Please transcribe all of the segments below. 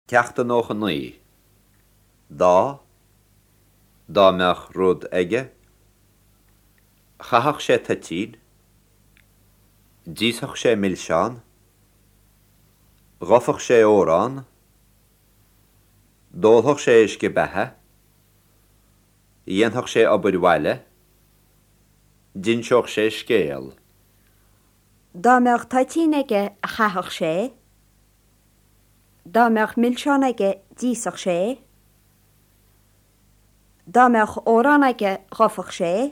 Ceacht 99. Dá, Dá mbeadh rud aige. Chaithfeadh sé toitín. D'íosfadh sé milseán. Ghobfadh sé órán. D'ólfadh sé uisce beatha. Dhéanfadh sé obair bhaile. D'inseodh sé scéal. Dá mbeadh toitín aige chaithfeadh sé. Dá mbeadh milseán aige d'íosfadh sé é. Dá mbeadh órán aige ghobfadh sé é.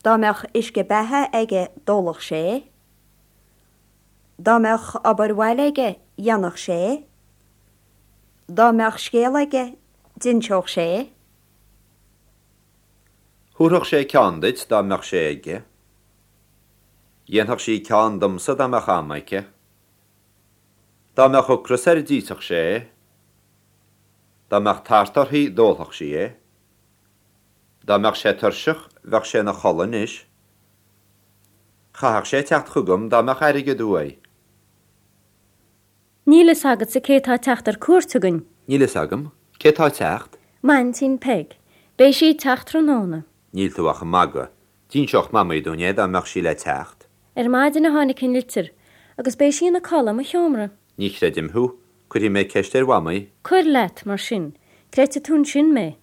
Dá mbeadh uisce beatha aige d'ólfadh sé é. Dá mbeadh obair bhaile aige dhéanfadh sé é. Dá mbeadh scéal aige d'inseodh sé é. Thabharfadh sé ceann duit dá mbeadh sé aige. Dhéanfadh sí ceann domsa dá mbeadh am aici. Dá mbeadh ocras air d'íosfadh sé é. Dá mbeadh tart uirthi d'ólfadh sí é. Dá mbeadh sé tuirseach bheadh sé ina chodladh anois. Chaithfeadh sé teacht chugam dá mbeadh airgead uaidh. Níl fhios agatsa cé tá ag teacht ar cuairt chugainn? Níl fhios agam. Cé tá ag teacht? M'aintín Peig. Beidh sí ag teacht tráthnóna. Níl tú ach ag magadh. D'inseodh Mamaí dúinn é dá mbeadh sí le teacht. Ar maidin a tháinig an litir, agus beidh sí ina codladh i mo sheomra. Ní chreidim thú. Cuirfidh mé ceist ar Mhamaí. Cuir leat, mar sin. Creidfidh tú ansin mé.